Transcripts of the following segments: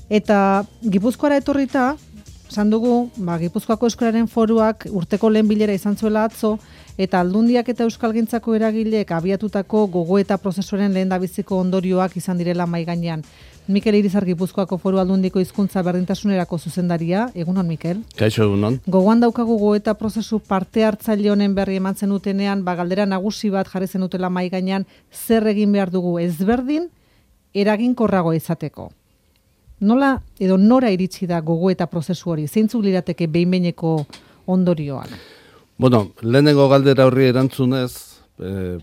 Eta Gipuzkoara etorrita, esan dugu, Gipuzkoako Euskararen Foruak urteko lehen bilera izan zuela atzo, eta Aldundiak eta Euskalgintzako eragileek abiatutako gogoeta prozesuaren lehendabiziko ondorioak izan direla mahai gainean. Mikel Irizar Gipuzkoako Foru Aldundiko hizkuntza berdintasunerako zuzendaria, egunon Mikel. Kaixo egunon. Gogoan daukagu gogoeta prozesu parte hartzaile honen berri eman zenutenean, galdera nagusi bat jarri zenutela mahai gainean, zer egin behar dugu ezberdin eraginkorrago izateko. Nola edo nora iritsi da gogoeta prozesu hori? Zeintzuk lirateke behin-behineko ondorioak? Bueno, lehenengo galdera horri erantzunez,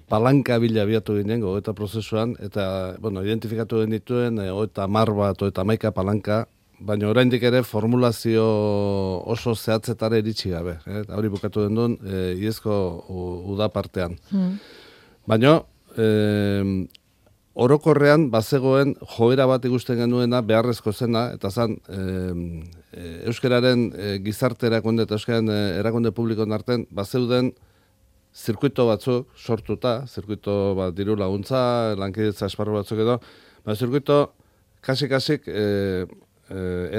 palanka bila abiatu ginen gogoeta prozesuan, eta, identifikatu genituen, eta 10 bat, eta 11 palanka, baina oraindik ere formulazio oso zehatzetara iritsi gabe. Hori bukatu den duen, iezko uda partean. Baina, orokorrean bazegoen joera bat ikusten genuena beharrezko zena, eta zan euskararen gizarte erakunde eta euskararen erakunde publikoen artean bazeuden zirkuito batzuk sortuta, zirkuito diru laguntza, lankidetza esparru batzuk edo, zirkuito kasik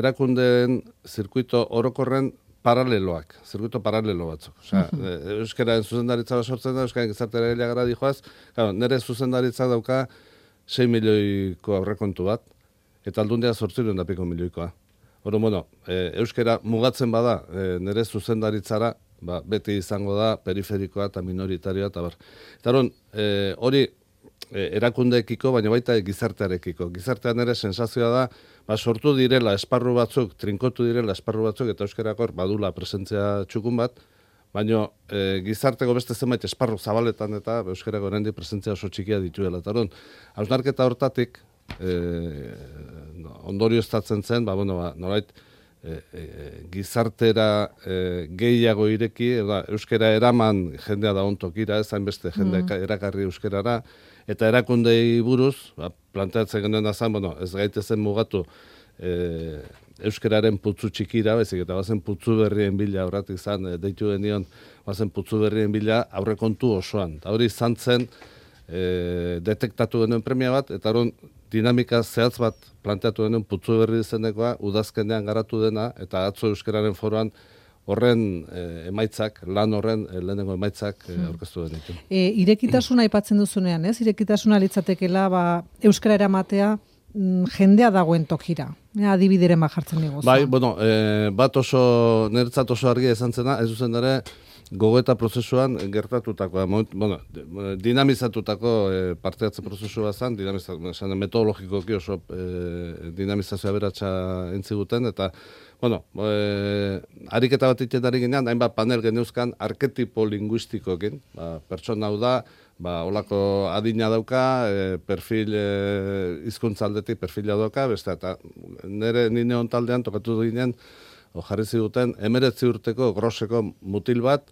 erakundeen zirkuito orokorren paraleloak, zirkuito paralelo batzuk. Osea, euskararen zuzendaritza sortzen da, euskararen gizarte eragileak gara dijoaz, nire zuzendaritza dauka 6 milioiko aurrekontu bat, eta Aldundia 800 milioikoa. Euskara mugatzen bada nire zuzendaritzara, beti izango da periferikoa eta minoritarioa, eta bar. Eta hori erakundeekiko, baina baita gizartearekiko. Gizartean ere sensazioa da, sortu direla esparru batzuk, trinkotu direla esparru batzuk, eta euskarakor badula presentzia txukun bat, baina gizarteko beste zenbait esparru zabaletan eta euskarako oraindik presentzia oso txikia dituela. Eta hausnarketa hortatik ondorio estatzen zen, nolait gizartera gehiago ireki, euskara eraman jendea da ontokira, ez hainbeste jendea erakarri euskarara, eta erakundei buruz, planteatzen genuen azan, ez gaitezen mugatu euskararen putzu txikira, bezik, eta bazen putzu berrien bila, horretik izan, deitu genion, bazen putzu berrien bila aurrekontu osoan. Eta hori izan zen, detektatu genuen premia bat, eta dinamika zehatz bat planteatu genuen putzu berri izenekoa, udazkenean garatu dena, eta atzo euskararen foruan horren emaitzak, lan horren lehenengo emaitzak aurkeztu genitu. Irekitasuna aipatzen duzunean, ez? Irekitasuna litzatekela euskara eramatea jendea dagoen tokira. Adibideren jartzen dugu. Bai, bat oso, niretzat oso argia izan zena, ez zuzen ere, gogoeta prozesuan gertatutakoa, dinamizatutako parteatze prozesua zen, metodologikoki oso dinamizazioa beratxa entziguten, eta, ariketa bat iten ari ginean, hainbat panel geneuzkan arketipo linguistikokin, pertsona hau da, olako adina dauka, perfil hizkuntza aldetik perfila dauka, beste, eta nire taldean tokatu ginen, jarri ziduten, 19 urteko groseko mutil bat,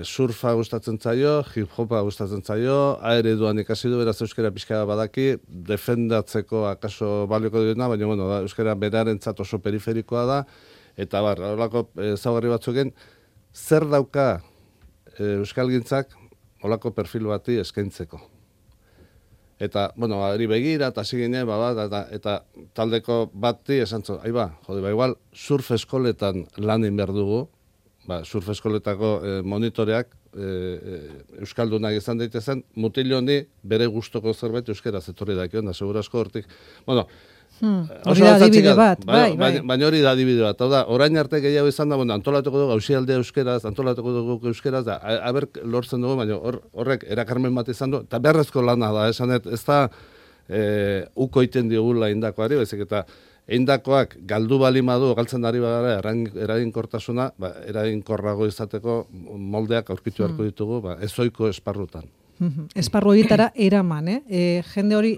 surfa gustatzen zaio, hip-hopa gustatzen zaio, aereduan ikasi du, beraz euskara pixka badaki, defendatzeko akaso balioko duena, baina euskara berarentzat oso periferikoa da, eta olako ezaugarri batzuken, zer dauka euskalgintzak olako perfil bati eskaintzeko. Eta, hori begira, eta hasi ginen, eta taldeko bati esan zu, igual, surf eskoletan lanin behar dugu, surf eskoletako monitoreak euskaldunak izan daitezen, mutil honi bere gustoko zerbait euskera zetorri dakion, da segurazko hortik. Hori da adibide bat, bai. Baina hori da adibide bat. Orain arte gehiago izan da, antolatuko dugu ausialdea euskeraz, antolatuko dugu euskeraz, aber lortzen dugu, baina horrek erakarmen bat izan du, eta beharrezko lana da, esanet, ez da uko iten diogula indakoari, bezik eta eindakoak galdu balimadu, galtzen ari bagara eraginkortasuna, eraginkorrago izateko moldeak aurkitu beharko ditugu, ezoiko esparrutan. Esparru horietara eraman, jende hori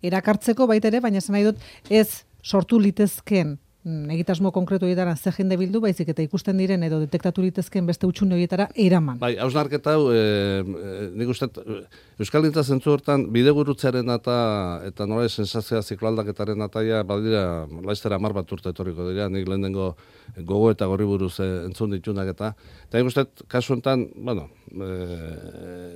erakartzeko baita ere, baina esan nahi dut ez sortu litezken egitasmo konkretu horietara ze jende bildu, baizik eta ikusten diren edo detektatu litezken beste hutsune horietara eraman. Bai, hausnarketa hau, nik uste, Euskalgintza zentzu hortan bidegurutzearen eta nola sensazioa zikloaldaketaren ataia, badira, laiztera 10 bat urte etorriko dira, nik lehenengo gogo eta gorri buruz entzun ditunak eta nik uste, kasu honetan,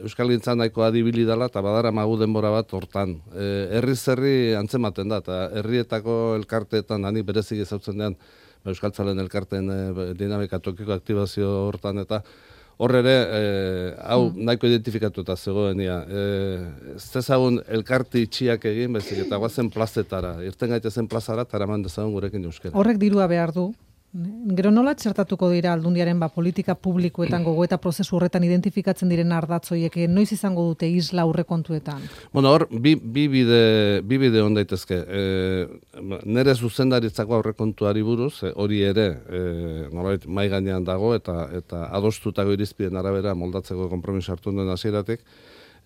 Euskalgintza nahiko adibili dela, eta badara magu denbora bat hortan. Herriz herri antzematen da, eta herrietako elkarteetan, hanik berezik ezautzen dean, Euskaltzalen elkarteen dinamika tokiko aktibazio hortan, eta hor ere, hau nahiko identifikatuta zegoenia. Ez dezagun elkarte itxiak egin, bezik, eta guazen plazetara, irten gaitezen plazara, eta eraman dezagun gurekin euskera. Horrek dirua behar du. Gero nola txertatuko dira aldundiaren politika publikoetan gogoeta prozesu horretan identifikatzen diren ardatzoiek, noiz izango dute isla aurrekontuetan? Bueno, hor, bi bide on daitezke. Nere zuzendaritzako aurrekontuari buruz, hori ere, nolabait mai gainean dago, eta adostutako irizpideen arabera moldatzeko konpromiso hartu duen hasieratik.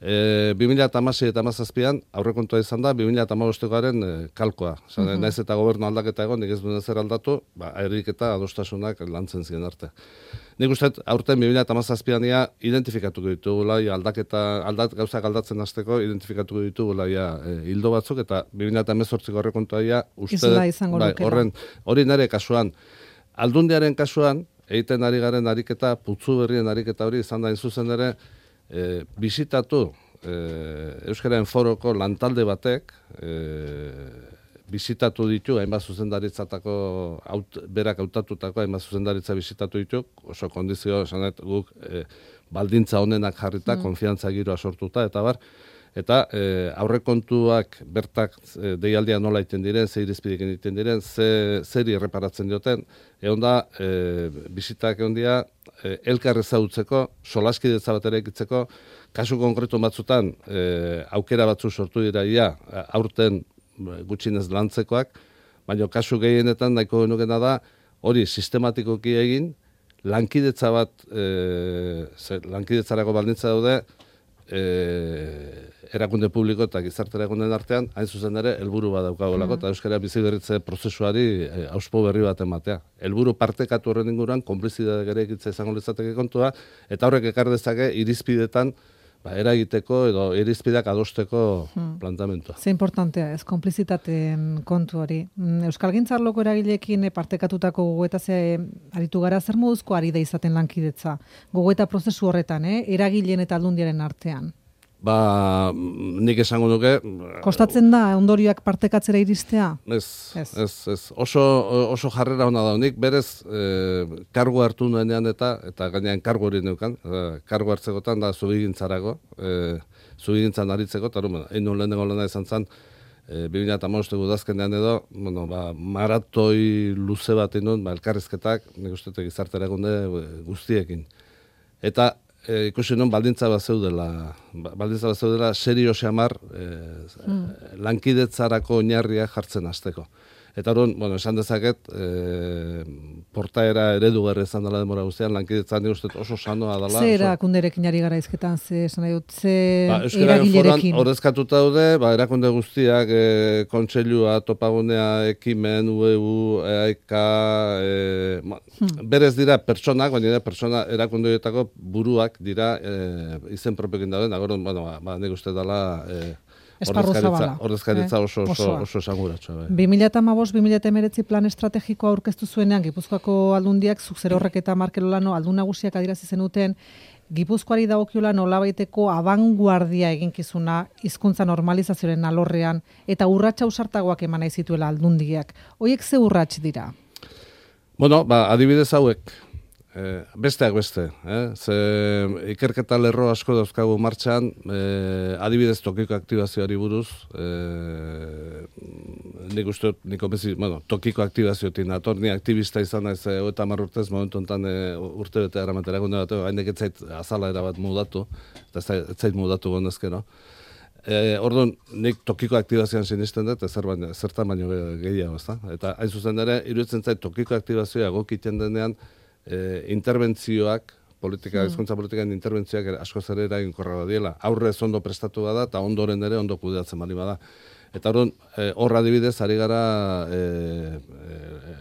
2016 eta 2017an aurrekontua izan da 2015aren kalkoa. Naiz eta gobernu aldaketa egon, nik ez duen ezer aldatu, erik eta adostasunak lantzen ziren arte. Nik uste, aurten 2017an identifikatuko ditugula, gauzak aldatzen hasteko identifikatuko ditugula hildo batzuk, eta 2018ko aurrekontua uste hori nire kasuan. Aldundiaren kasuan, egiten ari garen ariketa, putzu berrien ariketa hori izan da zuzen ere, bisitatu Euskararen Foroko lantalde batek bisitatu ditu, hainbat zuzendaritzatako berak hautatutako hainbat zuzendaritza bisitatu ditu, oso kondizio esanet guk baldintza honenak jarrita, konfiantza giroa sortuta, eta bar, eta aurrekontuak bertak deialdia nola iten diren, ze irizpidekin iten diren, zeri erreparatzen dioten, egon da, bisitak egon dira, elkar ezagutzeko, solaskidetza bat ere ekitzeko, kasu konkretu batzutan aukera batzu sortu dira aurten gutxinez lantzekoak, baina kasu gehienetan nahiko genukena da, hori sistematikoki egin, lankidetza bat, lankidetzarako baldintza daude, erakunde publiko eta gizarte erakunden artean, hain zuzen ere, helburu bat daukagolako, eta euskara bizi berritze prozesuari auspo berri bat ematea. Helburu partekatu horren inguruan, konplizidade gere ekitza izango litzateke kontua, eta horrek ekar dezake irizpidetan eragiteko edo irizpideak adosteko plantamentua. Ze importantea ez, konplizitateen kontu hori. Euskalgintza arloko eragileekin partekatutako gogoeta aritu gara, zer moduzko ari da izaten lankidetza? Gogoeta prozesu horretan, eragileen eta aldundiaren artean? Nik esango nuke... Kostatzen da ondorioak partekatzera iristea? Ez. Oso jarrera hona da. Nik berez kargu hartu nuenean eta gainean kargu hori neukan. Kargu hartzekotan da zubigintzarako, zubigintzan aritzeko, eta egin nuen lehenengo lana izan zen, 2015 udazkenean edo, maratoi luze bat egin elkarrizketak, nik uste gizarte erakunde guztiekin. Eta ikusi non baldintza bat zeudela serio xamar lankidetzarako oinarria jartzen hasteko. Eta hori, esan dezaket, portaera eredugarri izan dela denbora guztian, lankidetzan nik uste oso sanoa dela. Ze erakunderekin ari gara izketan, ze eragilerekin? Ordezkatuta daude, erakunde guztiak, kontseilua, topagunea, ekimen, UEU, EAIK, berez dira pertsonak, baina pertsona erakundeetako buruak dira izen propiokin dauden, nik uste dela... Ordezkaritza oso esanguratsua. 2015-2019 plan estrategikoa aurkeztu zuenean, Gipuzkoako aldundiak, Zuk Zerorrek eta Markel Olano aldun nagusiak adierazi zenuten, Gipuzkoari dagokiola nolabaiteko abanguardia eginkizuna hizkuntza normalizazioaren alorrean, eta urratsa ausartagoak eman nahi zituela aldundiak. Hoiek ze urrats dira? Adibidez hauek. Besteak beste, ze ikerketa lerro asko dauzkagu martxan, adibidez tokiko aktibazioari buruz, nik uste, tokiko aktibazioetik nator, ni aktivista izan naiz 30 urtez, momentu enten urte bete eramatera gunde bat, hainek etzait azala erabat mudatu, eta etzait mudatu gondezkero. Orduan, nik tokiko aktibazioan sinisten dut, zertan baino gehiago, ezta? Eta hain zuzen ere, iruditzen zait tokiko aktibazioa egokiten denean, interbentzioak, hizkuntza politikan interbentzioak askoz ere eraginkorra diela. Aurrez ondo prestatu bada eta ondoren ere ondo kudeatzen bali bada. Eta horra adibidez ari gara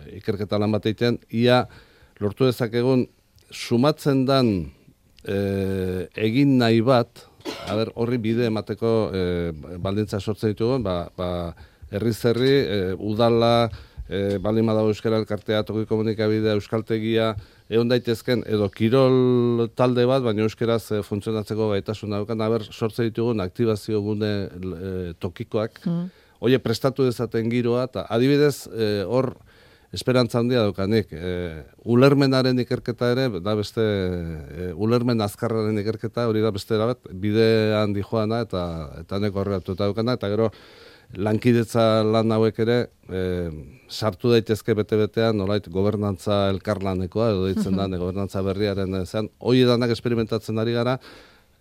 ikerketa lan bat egiten, ia lortu dezakegun sumatzen dan egin nahi bat, horri bide emateko baldintza sortzen ditugun, herriz herri, udala, baldin badago euskara elkartea, toki komunikabidea, euskaltegia, egon daitezken, edo kirol talde bat, baina euskeraz funtzionatzeko gaitasun daukan, sortze ditugun aktibazio gune tokikoak, oie prestatu dezaten giroa, eta adibidez, hor, esperantza handia daukanik. Ulermenaren ikerketa ere, da beste, ulermen azkarraren ikerketa, hori da beste erabat, bidean dijoana eta neko horreatuta daukana, eta gero lankidetza lan hauek ere, sartu daitezke bete-betean, nolait, gobernantza elkarlanekoa, edo deitzen da, gobernantza berriaren zean, hori danak experimentatzen ari gara,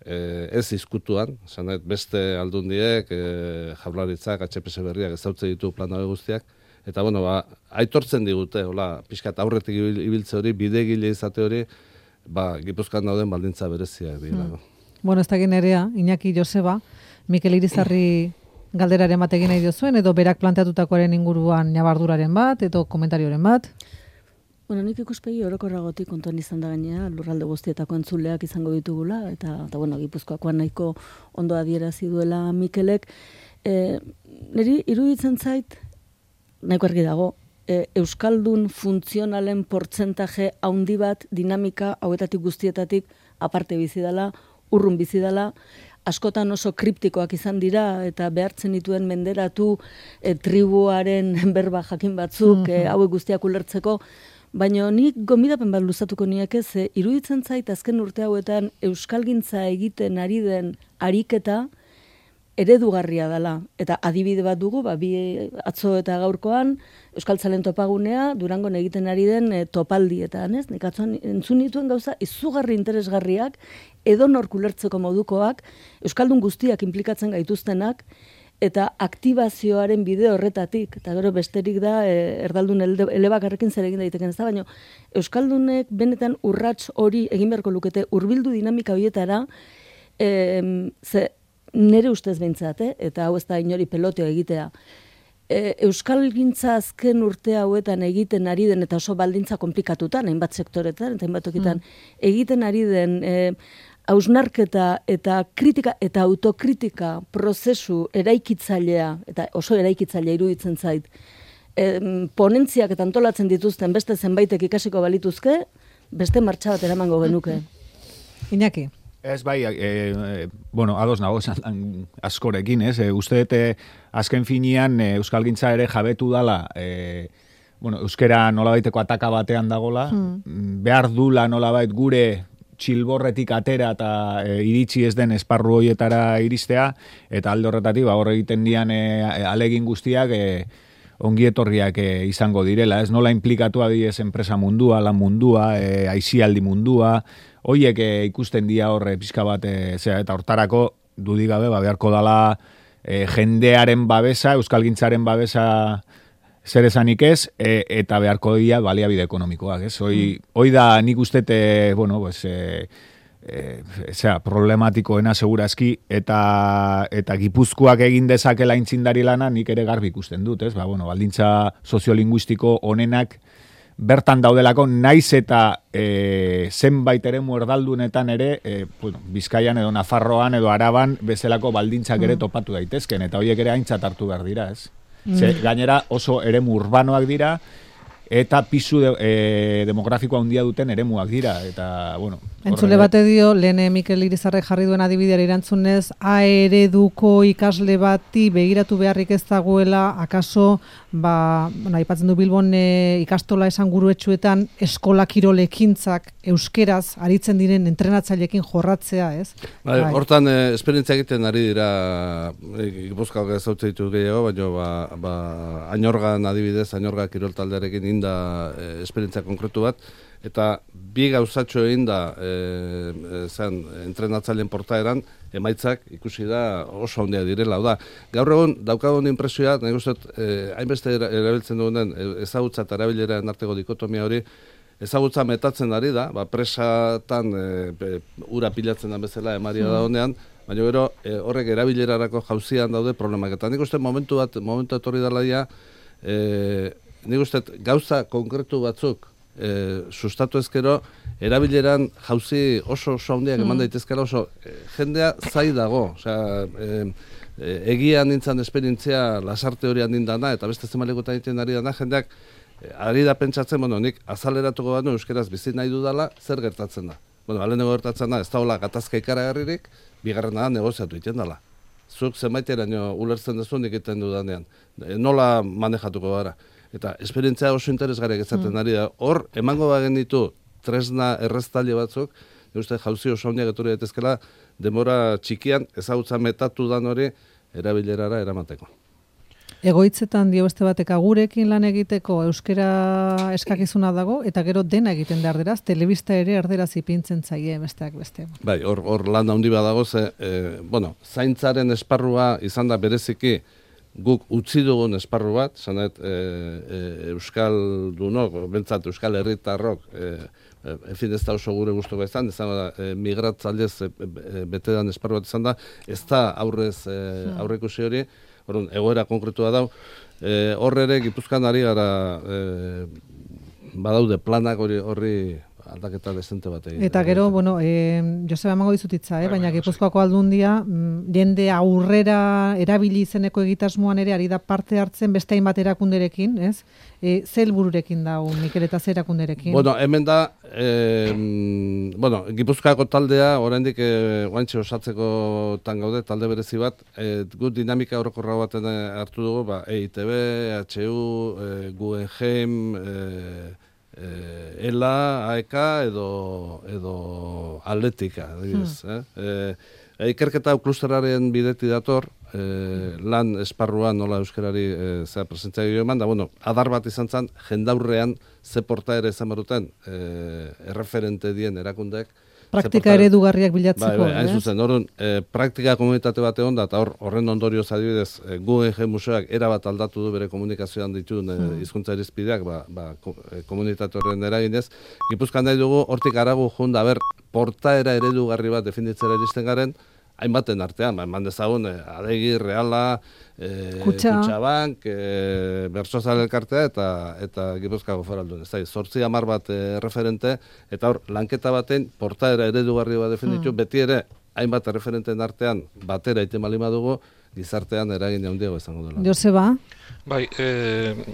ez izkutuan, beste aldundiek, Jaurlaritzak, HPS berriak ezautze ditu plan hauek guztiak, eta, bueno, aitortzen digute, hola, pixkat aurretik ibiltze hori, bidegile izate hori, Gipuzkoan dauden baldintza bereziak dira. Bueno, ez da generea, Iñaki Joseba, Mikel Irizarri galderaren bat egin nahi diozuen, edo berak planteatutakoaren inguruan nabarduraren bat, edo komentarioren bat? Bueno, nik ikuspegi orokorragotik kontuan izan da gainera, lurralde guztietako entzuleak izango ditugula, eta bueno, Gipuzkoakoan nahiko ondo adierazi duela Mikelek. Niri iruditzen zait, nahiko argi dago, euskaldun funtzionalen portzentaje handi bat dinamika hauetatik guztietatik aparte bizi dela, urrun bizi dela, askotan oso kriptikoak izan dira eta behartzen dituen menderatu tribuaren berba jakin batzuk hauek guztiak ulertzeko, baina nik gonbidapen bat luzatuko nieke ze iruditzen zait azken urte hauetan euskalgintza egiten ari den ariketa eredugarria dela. Eta adibide bat dugu, bi atzo eta gaurkoan, Euskaltzalen topagunea, Durangon egiten ari den topaldietan, ez? Nik atzoan entzun dituen gauza, izugarri interesgarriak, edonork ulertzeko modukoak, Euskaldun guztiak inplikatzen gaituztenak, eta aktibazioaren bide horretatik, eta gero besterik da, erdaldun elebakarrekin zer egin daiteken ez da, baina Euskaldunek benetan urrats hori egin beharko lukete, hurbildu dinamika horietara, nere ustez behintzat, eta hau ez da inori peloteo egitea. Euskalgintza azken urte hauetan egiten ari den, eta oso baldintza komplikatutan, hainbat sektoretan, eta hainbat tokitan, egiten ari den hausnarketa eta kritika eta autokritika prozesu eraikitzailea, eta oso eraikitzailea iruditzen zait, ponentziak eta antolatzen dituzten beste zenbaitek ikasiko balituzke, beste martxa bat eramango genuke. Iñaki. Ez bai, bueno, ados nago askorekin, ez? Uste azken finean euskalgintza ere jabetu dala, bueno, euskera nolabaiteko ataka batean dagola, behar dula nolabait gure txilborretik atera eta iritsi ez den esparru hoietara iristea, eta alde horretatik, hor egiten dian alegin guztiak ongietorriak izango direla, ez? Nola implikatu adiez enpresa mundua, lan mundua, aisialdi mundua, hoiek ikusten dia horre pixka bat, eta hortarako dudigabe beharko dala jendearen babesa, euskalgintzaren babesa zer esanik ez, eta beharko dia baliabide ekonomikoak, ez? Hoi da nik ustete, bueno, pues, problematikoena segurazki, eta Gipuzkoak egin dezakela intzindari lana nik ere garbi ikusten dut, ez? Bueno, baldintza soziolinguistiko onenak bertan daudelako, naiz eta zenbait eremu erdaldunetan ere, bueno, Bizkaian edo Nafarroan edo Araban bezalako baldintzak ere topatu daitezken, eta horiek ere aintzat hartu behar dira, ez? Gainera oso eremu urbanoak dira, eta pisu demografikoa handia duten eremuak dira, eta, bueno... Entzule bate dio, lehen Mikel Irizarrek jarri duen adibideari erantzunez, A ereduko ikasle bati begiratu beharrik ez dagoela, akaso, aipatzen du Bilbon ikastola esanguruetsuetan eskola kirolekintzak euskeraz aritzen diren entrenatzaileekin jorratzea, ez? Hortan, esperientzia egiten ari dira, Gipuzkoak ezautze ditu gehiago, baina Añorgan adibidez, Añorga kirol taldearekin inda esperientzia konkretu bat, eta bi gauzatxo egin da entrenatzaileen portaeran, emaitzak ikusi da oso handia direla. Da, gaur egun daukagun inpresioa, nahi guztet, hainbeste erabiltzen dugunen ezagutza eta erabileraren arteko dikotomia hori, ezagutza metatzen ari da, presatan ura pilatzen da bezala emaria da honean, baina gero horrek erabilerarako jauzian daude problemak. Eta nik uste momentu etorri dela dia, nik uste gauza konkretu batzuk sustatu ezkero, erabileran jauzi oso handiak eman daitezkera, oso jendea zai dago. Osea, egia nintzen esperientzia lasarte hori handindana, eta beste zemalekutan egiten ari dana, jendeak ari da pentsatzen, nik azaleratuko banu euskeraz bizi nahi dudala, zer gertatzen da. Alenego gertatzen da, ez da hola gatazka ikaragarririk, bigarrena da negoziatu egiten dela. Zuk zenbaiteraino ulertzen duzun egiten dudanean. Nola manejatuko gara. Eta esperientzia oso interesgarriak ezaten ari da. Hor, emango bagen ditu tresna erreztaile batzuk, uste jauzi oso handiak etorri daitezkela, denbora txikian ezagutza metatu dan hori erabilerara eramateko. Egoitzetan dio beste batek agurekin lan egiteko euskera eskakizuna dago, eta gero dena egiten da erderaz, telebista ere erderaz ipintzen zaie besteak beste. Bai, hor lan handi badago, zaintzaren esparrua izan da bereziki guk utzi dugun esparru bat, zanet euskaldunok, bentsat euskal herritarrok, ez da oso gure gustuko izan da, migratzailez betedan esparru bat izan da, ez da aurrekusi hori, egoera konkretua dau. Hor ere, Gipuzkoan ari gara badaude planak horri aldaketa desente bat egin. Eta gero, Joseba emango dizutitza, baina Gipuzkoako Aldundia jende aurrera erabili izeneko egitasmoan ere ari da parte hartzen beste hainbat erakunderekin, ez? Ze helbururekin da Mikel eta ze erakunderekin? Hemen da, Gipuzkoako taldea, oraindik guantxe osatzeko gaude, talde berezi bat, gut dinamika orokorra baten hartu dugu, EITB, HU, Guggenheim, ELA, AEK edo Atletika. Ikerketa klusteraren bideti dator, lan esparruan nola euskarari presentzia gero eman, adar bat izan zen, jendaurrean ze portaera izan baruten erreferente dien erakundeek. Praktika eredugarriak bilatzeko. Hain zuzen, praktika komunitate bat egon da, eta horren ondorioz adibidez, Guggenheim Museoak erabat aldatu du bere komunikazioan dituen hizkuntza irizpideak, komunitate horren eraginez. Gipuzkoan nahi dugu, hortik aragu junda, portaera eredugarri bat definitzera iristen garen, hainbaten artean, eman dezagun, Adegi, Reala, Kutxabank, Bersozal elkartea eta Gipuzkoako Foraldun. Ez da, 8-10 bat referente, eta hor, lanketa baten, portaera eredugarri bat definitu, beti ere, hainbat referenten artean, batera iten balima dugu, gizartean eragin handiago izango dela. Joseba? Bai,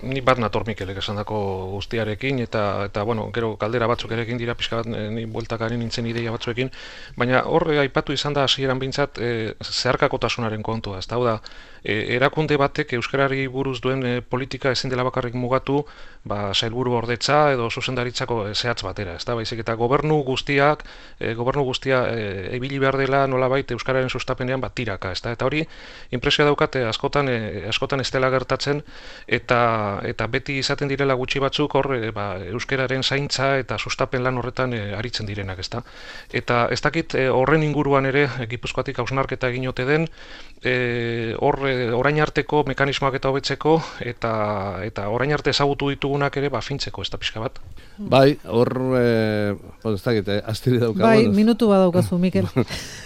ni bat nator Mikelek esandako guztiarekin, eta gero kaldera batzuk erekin dira, pixka bat ni bueltakari nintzen ideia batzuekin, baina hor aipatu izan da hasieran bintzat zeharkakotasunaren kontua, ez da, erakunde batek euskarari buruz duen politika ezin dela bakarrik mugatu, sailburu ordetza edo zuzendaritzako zehatz batera, ez da, baizik eta gobernu guztia ebili behar dela nolabait euskararen sustapenean tiraka, ez da, eta hori impresioa daukate askotan ez dela gertatzen, eta beti izaten direla gutxi batzuk hor euskararen zaintza eta sustapen lan horretan aritzen direnak, ez da. Eta ez dakit horren inguruan ere Gipuzkoatik hausnarketa egin ote den, orain arteko mekanismoak eta hobetzeko, eta orain arte ezagutu ditugunak ere fintzeko, ez da pixka bat. Bai, hor, ez dakit, astiri daukagu. Bai, minutu bat daukazu, Mikel.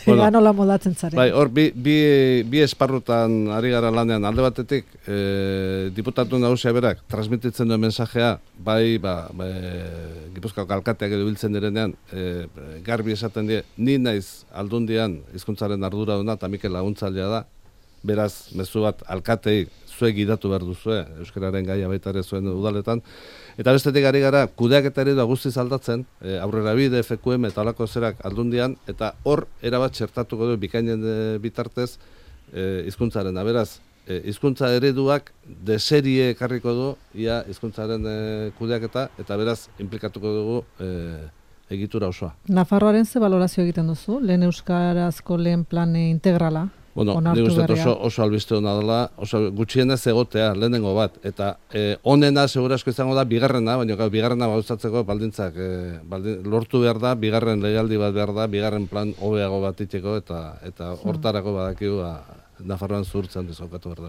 Ega nola moldatzen zaren. Bai, hor, bi esparrutan ari gara lanean, alde batetik, diputatu nagusia berak, transmititzen duen mensajea, Gipuzkoako alkateak edo biltzen direnean, garbi esaten die, ni naiz Aldundian hizkuntzaren arduraduna eta Mikel laguntzailea da, beraz, mezu bat alkatei zuek gidatu behar duzue, euskararen gaia baita ere zuen udaletan, eta bestetik ari gara, kudeaketa eredua guztiz aldatzen, aurrera bide, FQM eta alako zerak Aldundian, eta hor erabat txertatuko du bikainen bitartez hizkuntzaren, beraz, hizkuntza ereduak deserie ekarriko du, ia hizkuntzaren kudeaketa, eta beraz, implikatuko dugu egitura osoa. Nafarroaren ze balorazio egiten duzu? Lehen euskarazko lehen plan integrala? Nik uste oso albiste hona dela, oso gutxienez egotea, lehenengo bat, eta onena segurasko izango da bigarrena, baina bigarrena gauzatzeko baldintzak lortu behar da, bigarren legaldi bat behar da, bigarren plan hobeago bat itxeko, eta hortarako badakigu Nafarroan zuhurtzen dizaukatu behar da.